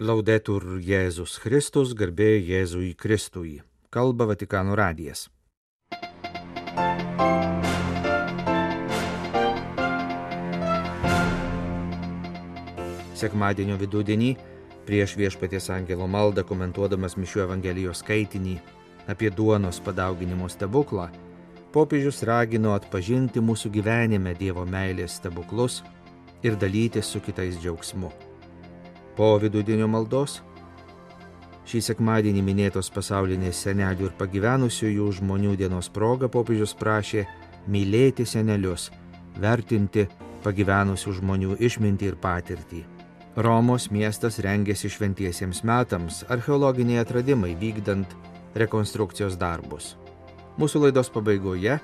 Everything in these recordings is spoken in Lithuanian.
Laudetur Jėzus Kristus, garbė Jėzui Kristui. Kalba Vatikano radijas. Sekmadienio vidudienį prieš Viešpaties angelo maldą komentuodamas Mišių Evangelijos skaitinį apie duonos padauginimo stebuklą, popiežius ragino atpažinti mūsų gyvenime Dievo meilės stebuklus ir dalytis su kitais džiaugsmu. Po vidudienio maldos šį sekmadienį minėtos pasaulinės senelių ir pagyvenusiųjų žmonių dienos proga popiežius prašė mylėti senelius, vertinti pagyvenusių žmonių išmintį ir patirtį. Romos miestas rengėsi šventiesiems metams, archeologiniai atradimai vykdant rekonstrukcijos darbus. Mūsų laidos pabaigoje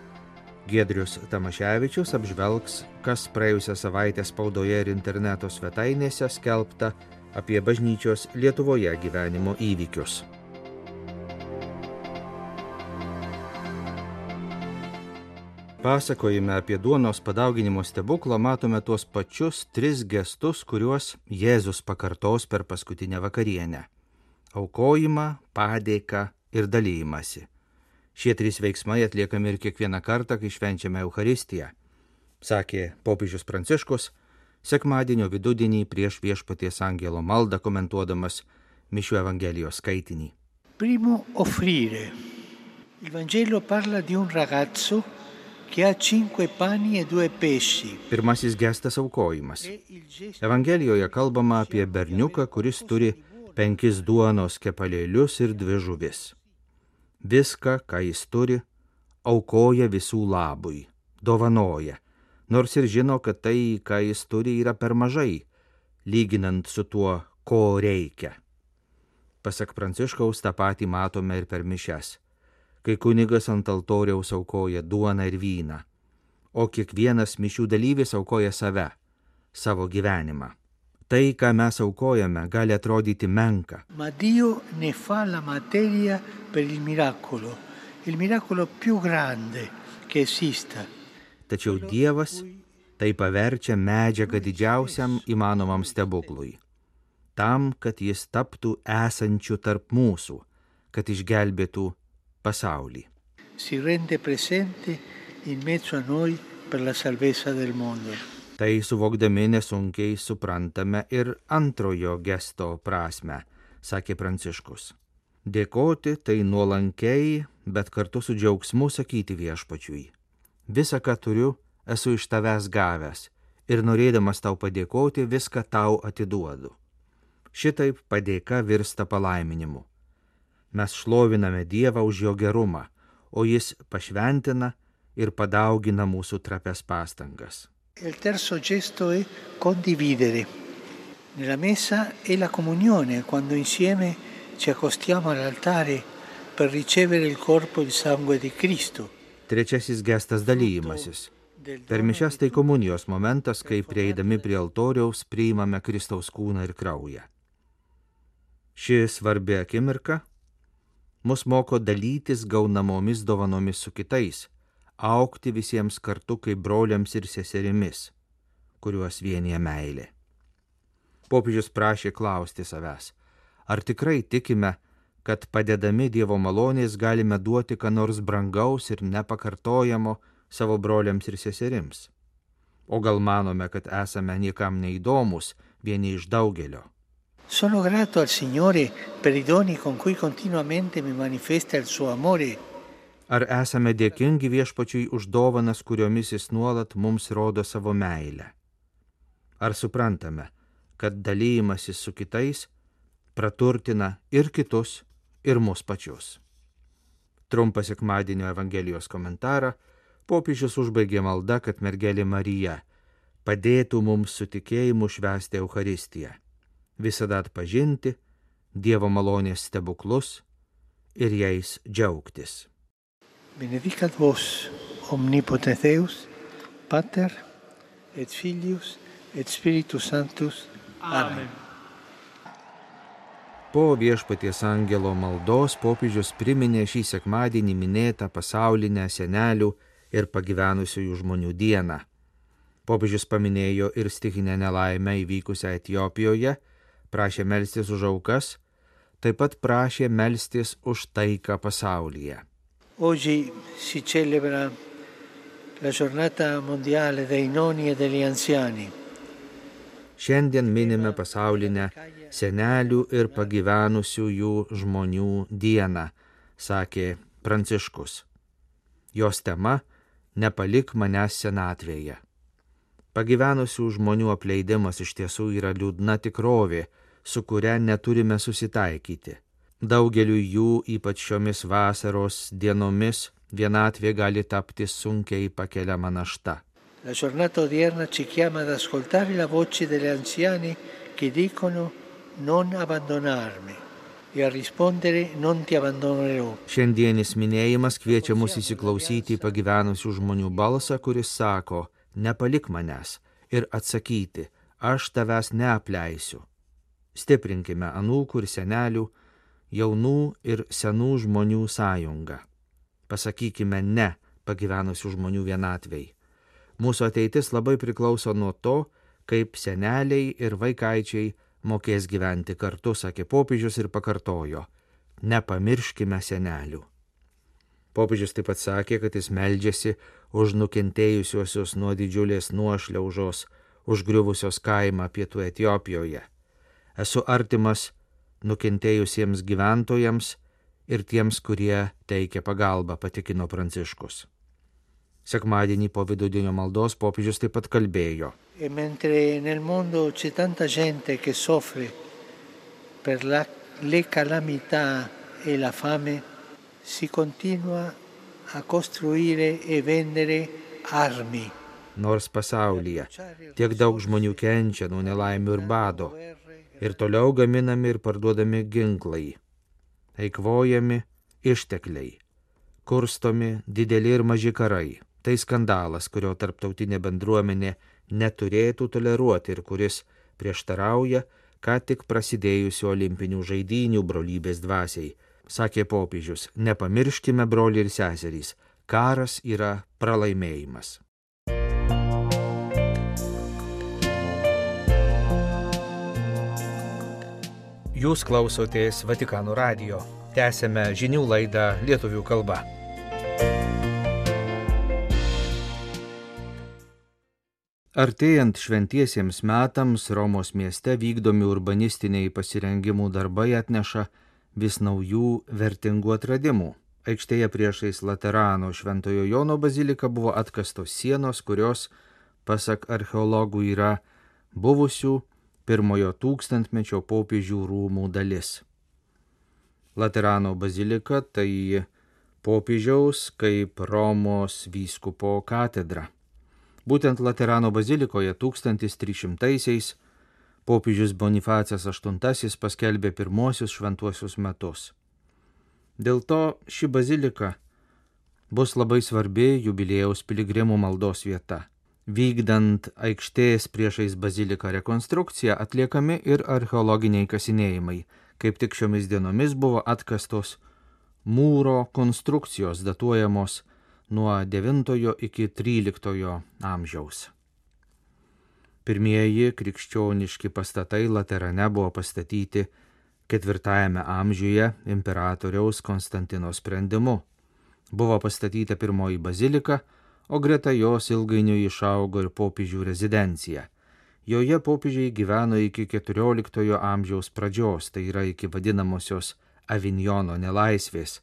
Giedrius Tamaševičius apžvelgs, kas praėjusią savaitę spaudoje ir interneto svetainėse skelbta apie bažnyčios Lietuvoje gyvenimo įvykius. Pasakojime apie duonos padauginimo stebuklą matome tuos pačius 3 gestus, kuriuos Jėzus pakartos per paskutinę vakarienę – aukojimą, padėką ir dalijimąsi. Šie 3 veiksmai atliekami ir kiekvieną kartą, kai švenčiame Eucharistiją, sakė popiežius Pranciškus sekmadienio vidudienį prieš Viešpaties angelo maldą komentuodamas Mišių Evangelijos skaitinį. Primo, offrire. Il Vangelo parla di un ragazzo che ha 5 pani e 2 pesci. Pirmasis gestas – aukojimas. Evangelijoje kalbama apie berniuką, kuris turi 5 duonos kepalėlius ir 2 žuvis. Viską, ką jis turi, aukoja visų labui, dovanoja, nors ir žino, kad tai, ką jis turi, yra per mažai, lyginant su tuo, ko reikia. Pasak Pranciškaus, tą patį matome ir per mišias, kai kunigas ant altoriaus aukoja duoną ir vyną, o kiekvienas mišių dalyvis aukoja save, savo gyvenimą. Tai, ką mes aukojame, gali atrodyti menka. Ma Dio ne fa la materia per il miracolo più grande che esista. Tačiau Dievas tai paverčia medžiagą didžiausiam įmanomam stebuklui, tam, kad jis taptų esančiu tarp mūsų, kad išgelbėtų pasaulį. Si rende presente in mezzo a noi per la salvezza del mondo. Tai suvokdami nesunkiai suprantame ir antrojo gesto prasmę, sakė Pranciškus. Dėkoti tai nuolankiai, bet kartu su džiaugsmu sakyti Viešpačiui. Visa, ką turiu, esu iš tavęs gavęs ir norėdamas tau padėkoti, viską tau atiduodu. Šitaip padėka virsta palaiminimu. Mes šloviname Dievą už jo gerumą, o jis pašventina ir padaugina mūsų trapes pastangas. Il terzo gesto è condividere. Nella messa è la comunione, quando insieme ci accostiamo all'altare per ricevere il corpo e il sangue di Cristo. Trečiasis gestas – dalyjimasis. Per mišias tai komunijos momentas, kai prieidami prie altoriaus priimame Kristaus kūną ir kraują. Ši svarbi akimirka mus moko dalytis gaunamomis dovanomis su kitais, augti visiems kartu kaip broliams ir seserimis, kuriuos vienija meilė. Popiežius prašė klausti savęs, ar tikrai tikime, kad padedami Dievo malonės galime duoti ką nors brangaus ir nepakartojamo savo broliams ir seserims? O gal manome, kad esame niekam neįdomus, vieni iš daugelio? Sono grato al Signore per i doni con cui continuamente mi manifesta il suo amore. Ar esame dėkingi Viešpačiui už dovanas, kuriomis jis nuolat mums rodo savo meilę? Ar suprantame, kad dalyjimasis su kitais praturtina ir kitus, ir mus pačius? Trumpą sekmadienio Evangelijos komentarą popiežius užbaigė malda, kad mergelė Marija padėtų mums su tikėjimu švęsti Eucharistiją, visada atpažinti Dievo malonės stebuklus ir jais džiaugtis. Benedicat vos, omnipotens Deus, Pater, et Filius, et Spiritus Sanctus. Amen. Po Viešpaties angelo maldos popiežius priminė šį sekmadienį minėtą pasaulinę senelių ir pagyvenusiųjų žmonių dieną. Popiežius paminėjo ir stichinę nelaimę įvykusią Etiopijoje, prašė melstis už aukas, taip pat prašė melstis už taiką pasaulyje. Oggi si celebra la giornata mondiale dei nonni e degli anziani. Šiandien minime pasaulinę senelių ir pagyvenusiųjų žmonių dieną, sakė Pranciškus. Jos tema – nepalik manęs senatvėje. Pagyvenusių žmonių apleidimas iš tiesų yra liūdna tikrovė, su kuria neturime susitaikyti. Daugeliu jų, ypač šiomis vasaros dienomis, vienatvė gali tapti sunkiai pakeliama našta. La giornata odierna ci chiama ad ascoltare la voce degli anziani che dicono non abbandonarmi e a rispondere non ti abbandonerò. Šiandienis minėjimas kviečia mus įsiklausyti į pagyvenusių žmonių balsą, kuris sako, nepalik manęs, ir atsakyti, aš tavęs neapleisiu. Stiprinkime anūkų ir senelių, jaunų ir senų žmonių sąjungą. Pasakykime ne pagyvenusių žmonių vienatvei. Mūsų ateitis labai priklauso nuo to, kaip seneliai ir vaikaičiai mokės gyventi kartu, sakė popiežius ir pakartojo, nepamirškime senelių. Popiežius taip pat sakė, kad jis meldžiasi už nukentėjusiuosius nuo didžiulės nuošliaužos, užgriuvusios kaimą pietų Etiopijoje. Esu artimas nukentėjusiems gyventojams ir tiems, kurie teikia pagalbą, patikino Pranciškus. Sekmadienį po vidudienio maldos popiežius taip pat kalbėjo. E mentre nel mondo c'è tanta gente che soffre per le calamità e la fame, si continua a costruire e vendere armi. Nors pasaulyje tiek daug žmonių kenčia nuo nelaimių ir bado, ir toliau gaminami ir parduodami ginklai, eikvojami ištekliai, kurstomi dideli ir maži karai. Tai skandalas, kurio tarptautinė bendruomenė neturėtų toleruoti ir kuris prieštarauja ką tik prasidėjusių olimpinių žaidynių brolybės dvasiai. Sakė popiežius, nepamirškime, broliai ir seserys, karas yra pralaimėjimas. Jūs klausotės Vatikano radijo. Tęsiame žinių laidą lietuvių kalba. Artėjant šventiesiems metams Romos mieste vykdomi urbanistiniai pasirengimų darbai atneša vis naujų vertingų atradimų. Aikštėje priešais Laterano Šventojo Jono baziliką buvo atkastos sienos, kurios, pasak archeologų, yra buvusių pirmojo tūkstantmečio popiežių rūmų dalis. Laterano bazilika tai popiežiaus kaip Romos vyskupo katedra. Būtent Laterano bazilikoje 1300-aisiais popiežius Bonifacas VIII paskelbė pirmosius šventuosius metus. Dėl to ši bazilika bus labai svarbi jubiliejaus piligrimų maldos vieta. Vykdant aikštės priešais baziliką rekonstrukciją atliekami ir archeologiniai kasinėjimai. Kaip tik šiomis dienomis buvo atkastos mūro konstrukcijos datuojamos nuo 9 iki 13 amžiaus. Pirmieji krikščioniški pastatai Laterane buvo pastatyti 4 amžiuje imperatoriaus Konstantino sprendimu. Buvo pastatyta pirmoji bazilika, o greta jos ilgainiui išaugo ir popiežių rezidencija. Joje popiežiai gyveno iki 14 amžiaus pradžios, tai yra iki vadinamosios Avinjono nelaisvės,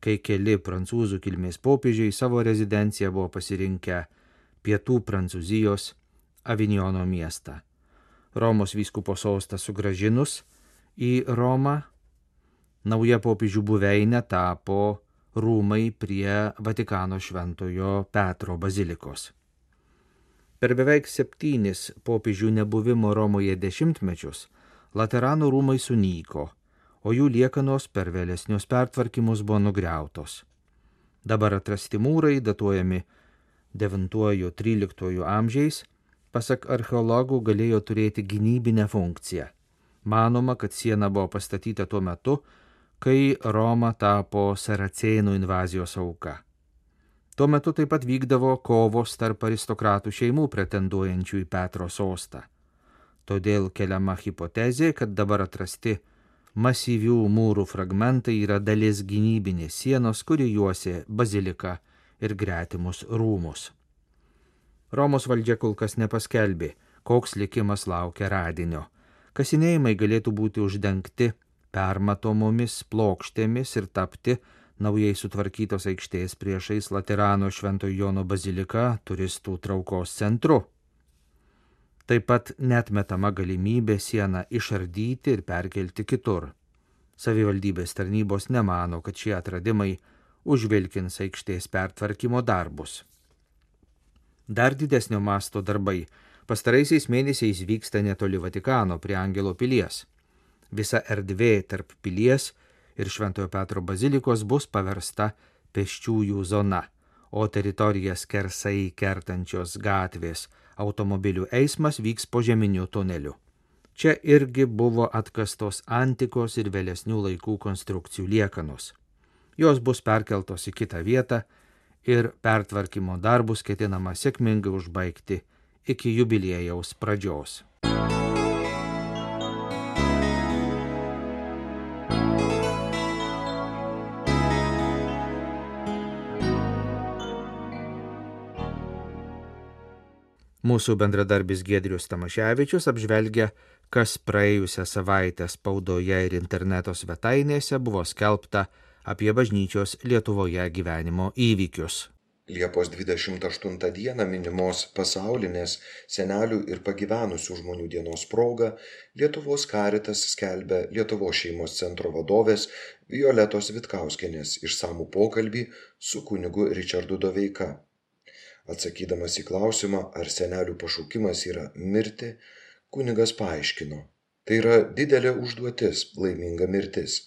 kai keli prancūzų kilmės popiežiai savo rezidenciją buvo pasirinkę pietų Prancūzijos Avinjono miestą. Romos vyskupo sostą sugrąžinus į Romą, nauja popiežių buveinė tapo rūmai prie Vatikano Šventojo Petro bazilikos. Per beveik 7 popiežių nebuvimo Romoje dešimtmečius Laterano rūmai sunyko, o jų liekanos per vėlesnius pertvarkymus buvo nugriautos. Dabar atrasti mūrai, datuojami 9-13 amžiais, pasak archeologų galėjo turėti gynybinę funkciją. Manoma, kad siena buvo pastatyta tuo metu, kai Roma tapo saracėnų invazijos auka. Tuo metu taip pat vykdavo kovos tarp aristokratų šeimų pretenduojančių į Petro sostą. Todėl keliama hipotezė, kad dabar atrasti masyvių mūrų fragmentai yra dalis gynybinės sienos, kuri juosė baziliką ir gretimus rūmus. Romos valdžia kol kas nepaskelbė, koks likimas laukia radinio. Kasinėjimai galėtų būti uždengti permatomomis plokštėmis ir tapti naujai sutvarkytos aikštės priešais Laterano Švento Jono baziliką turistų traukos centru. Taip pat neatmetama galimybė sieną išardyti ir perkelti kitur. Savivaldybės tarnybos nemano, kad šie atradimai užvilkins aikštės pertvarkymo darbus. Dar didesnio masto darbai pastaraisiais mėnesiais vyksta netoli Vatikano prie Angelo pilies. Visa erdvė tarp pilies ir Šventojo Petro bazilikos bus paversta pėsčiųjų zona, o teritorijas skersai kertančios gatvės automobilių eismas vyks požeminiu tuneliu. Čia irgi buvo atkastos antikos ir vėlesnių laikų konstrukcijų liekanos. Jos bus perkeltos į kitą vietą ir pertvarkymo darbus ketinama sėkmingai užbaigti iki jubiliejaus pradžios. Mūsų bendradarbis Giedrius Tamaševičius apžvelgia, kas praėjusią savaitę spaudoje ir interneto svetainėse buvo skelbta apie bažnyčios Lietuvoje gyvenimo įvykius. Liepos 28 dieną minimos pasaulinės senelių ir pagyvenusių žmonių dienos proga Lietuvos Caritas skelbia Lietuvos šeimos centro vadovės Violetos Vitkauskienės išsamų pokalbį su kunigu Ričardu Doveika. Atsakydamas į klausimą, ar senelių pašaukimas yra mirti, kunigas paaiškino. Tai yra didelė užduotis, laiminga mirtis.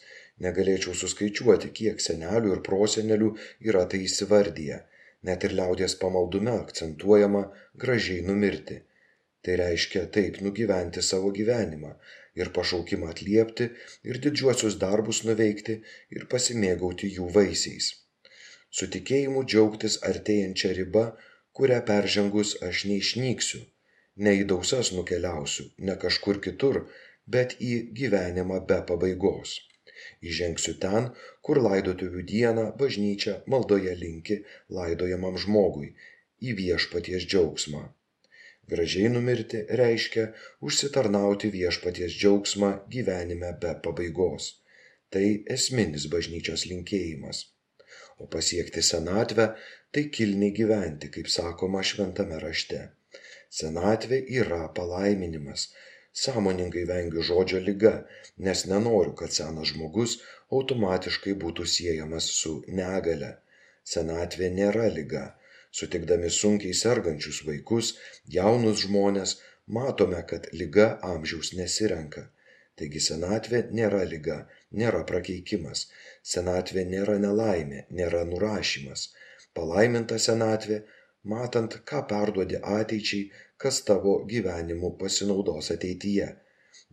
Negalėčiau suskaičiuoti, kiek senelių ir prosenelių yra tai įsivardyję. Net ir liaudies pamaldume akcentuojama gražiai numirti. Tai reiškia taip nugyventi savo gyvenimą ir pašaukimą atliepti ir didžiuosius darbus nuveikti ir pasimėgauti jų vaisiais. Su tikėjimu džiaugtis artėjančią ribą, kurią peržengus aš neišnyksiu, ne į dausas nukeliausiu, ne kažkur kitur, bet į gyvenimą be pabaigos. Įžengsiu ten, kur laidotuvių dieną bažnyčia maldoje linki laidojamam žmogui, į viešpaties džiaugsmą. Gražiai numirti reiškia užsitarnauti viešpaties džiaugsmą gyvenime be pabaigos. Tai esminis bažnyčios linkėjimas. O pasiekti senatvę tai kilniai gyventi, kaip sakoma šventame rašte. Senatvė yra palaiminimas. Sąmoningai vengiu žodžio liga, nes nenoriu, kad senas žmogus automatiškai būtų siejamas su negale. Senatvė nėra liga. Sutikdami sunkiai sergančius vaikus, jaunus žmones, matome, kad liga amžiaus nesirenka. Taigi senatvė nėra liga, nėra prakeikimas. Senatvė nėra nelaimė, nėra nurašymas. Palaiminta senatvė, matant, ką perduodi ateičiai, kas tavo gyvenimu pasinaudos ateityje.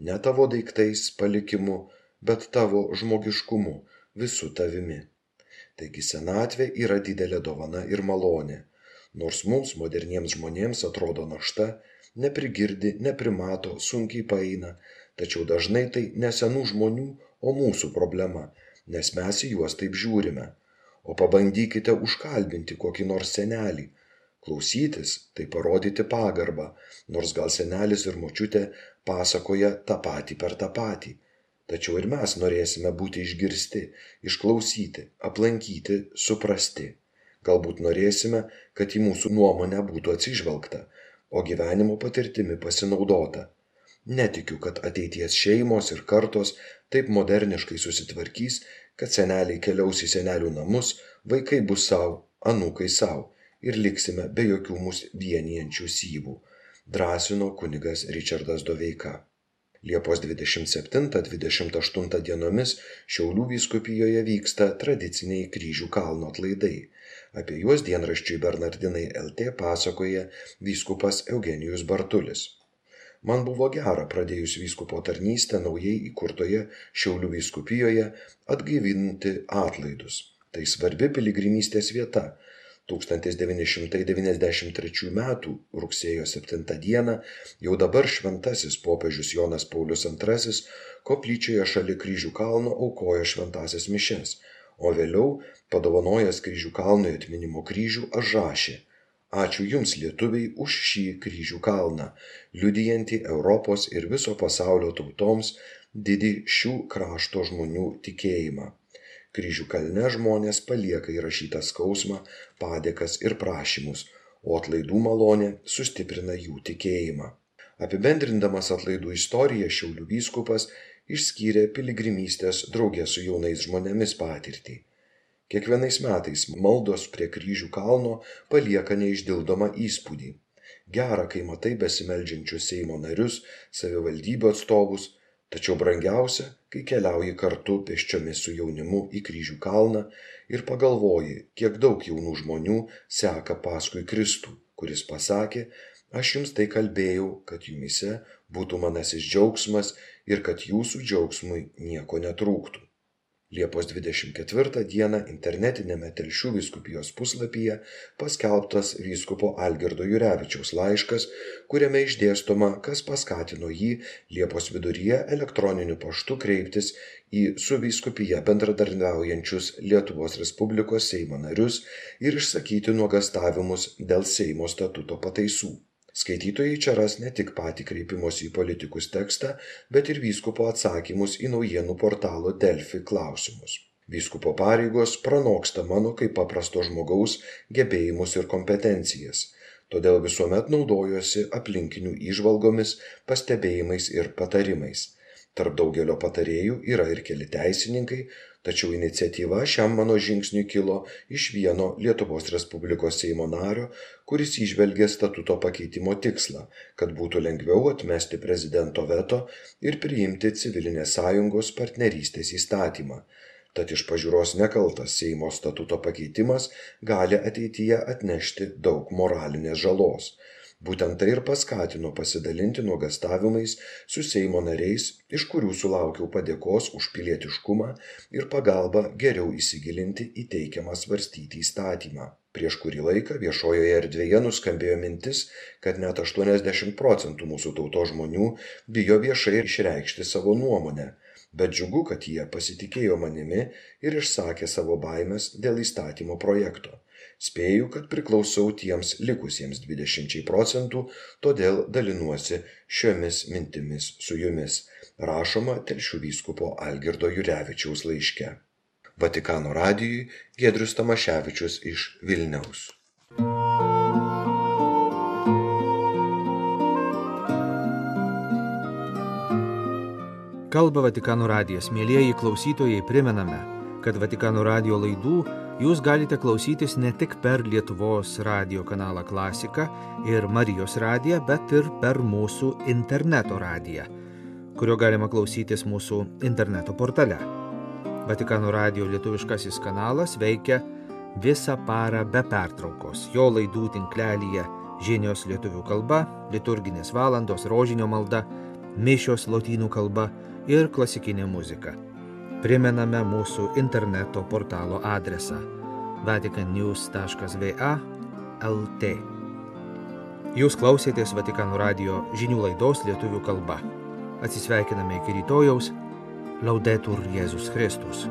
Ne tavo daiktais, palikimu, bet tavo žmogiškumu, visų tavimi. Taigi senatvė yra didelė dovana ir malonė. Nors mums, moderniems žmonėms, atrodo našta, neprigirdi, neprimato, sunkiai paeina, tačiau dažnai tai ne senų žmonių, o mūsų problema, nes mes į juos taip žiūrime. O pabandykite užkalbinti kokį nors senelį. Klausytis – tai parodyti pagarbą, nors gal senelis ir močiutė pasakoja tą patį per tą patį. Tačiau ir mes norėsime būti išgirsti, išklausyti, aplankyti, suprasti. Galbūt norėsime, kad į mūsų nuomonę būtų atsižvelgta, o gyvenimo patirtimi pasinaudota. Netikiu, kad ateities šeimos ir kartos taip moderniškai susitvarkys, kad seneliai keliaus į senelių namus, vaikai bus savo, anūkai savo ir liksime be jokių mus vienijančių syvų, drąsino kunigas Ričardas Doveika. Liepos 27-28 dienomis Šiaulių vyskupijoje vyksta tradiciniai Kryžių kalno atlaidai. Apie juos dienraščiui Bernardinai LT pasakoja vyskupas Eugenijus Bartulis. Man buvo gera pradėjus vyskupo tarnystę naujai įkurtoje Šiaulių vyskupijoje atgaivinti atlaidus. Tai svarbi piligrimystės vieta. 1993 m. rugsėjo 7 d. jau dabar šventasis popiežius Jonas Paulius II koplyčioje šalia Kryžių kalno aukojo šventąsias mišias, o vėliau, padovanojęs Kryžių kalnui atminimo kryžių, užrašė: Ačiū Jums, lietuviai, už šį Kryžių kalną, liudijantį Europos ir viso pasaulio tautoms didį šių krašto žmonių tikėjimą. Kryžių kalne žmonės palieka įrašytą skausmą, padėkas ir prašymus, o atlaidų malonė sustiprina jų tikėjimą. Apibendrindamas atlaidų istoriją, Šiaulių vyskupas išskyrė piligrimystės drauge su jaunais žmonėmis patirtį. Kiekvienais metais maldos prie Kryžių kalno palieka neišdildomą įspūdį. Gera, kai matai besimeldžiančius Seimo narius, savivaldybių atstovus, tačiau brangiausia, kai keliauji kartu pėsčiomis su jaunimu į Kryžių kalną ir pagalvoji, kiek daug jaunų žmonių seka paskui Kristų, kuris pasakė: Aš jums tai kalbėjau, kad jumyse būtų manasis džiaugsmas ir kad jūsų džiaugsmui nieko netrūktų. Liepos 24 d. internetinėme Telšių vyskupijos puslapyje paskelbtas vyskupo Algirdo Jurevičiaus laiškas, kuriame išdėstoma, kas paskatino jį Liepos viduryje elektroniniu paštu kreiptis į su vyskupija bendradarbiaujančius Lietuvos Respublikos Seimo narius ir išsakyti nuogąstavimus dėl Seimo statuto pataisų. Skaitytojai čia ras ne tik patį kreipimosi į politikus tekstą, bet ir vyskupo atsakymus į naujienų portalo Delfi klausimus. Vyskupo pareigos pranoksta mano kaip paprasto žmogaus gebėjimus ir kompetencijas, todėl visuomet naudojuosi aplinkinių įžvalgomis, pastebėjimais ir patarimais. Tarp daugelio patarėjų yra ir keli teisininkai, tačiau iniciatyva šiam mano žingsniui kilo iš vieno Lietuvos Respublikos Seimo nario, kuris įžvelgė statuto pakeitimo tikslą, kad būtų lengviau atmesti prezidento veto ir priimti civilinės sąjungos partnerystės įstatymą. Tad iš pažiūros nekaltas Seimo statuto pakeitimas gali ateityje atnešti daug moralinės žalos. Būtent tai ir paskatino pasidalinti nuogąstavimais su Seimo nariais, iš kurių sulaukiau padėkos už pilietiškumą ir pagalbą geriau įsigilinti į teikiamą svarstyti įstatymą. Prieš kurį laiką viešojoje erdvėje nuskambėjo mintis, kad net 80% mūsų tautos žmonių bijo viešai išreikšti savo nuomonę, bet džiugu, kad jie pasitikėjo manimi ir išsakė savo baimes dėl įstatymo projekto. Spėju, kad priklausau tiems likusiems 20%, todėl dalinuosi šiomis mintimis su jumis, rašoma Telšių vyskupo Algirdo Jurevičiaus laiške. Vatikano radijui Giedrius Tamaševičius iš Vilniaus. Kalba Vatikano radijas. Mielieji klausytojai, primename, kad Vatikano radijo laidų jūs galite klausytis ne tik per Lietuvos radijo kanalą Klasika ir Marijos radiją, bet ir per mūsų interneto radiją, kurio galima klausytis mūsų interneto portale. Vatikano radijo lietuviškasis kanalas veikia visą parą be pertraukos. Jo laidų tinklelyje žinios lietuvių kalba, liturginės valandos, rožinio malda, mišios lotynų kalba ir klasikinė muzika. Primename mūsų interneto portalo adresą vaticannews.va/lt. Jūs klausėtės Vatikano radijo žinių laidos lietuvių kalba. Atsisveikiname iki rytojaus. Laudetur Jėzus Kristus.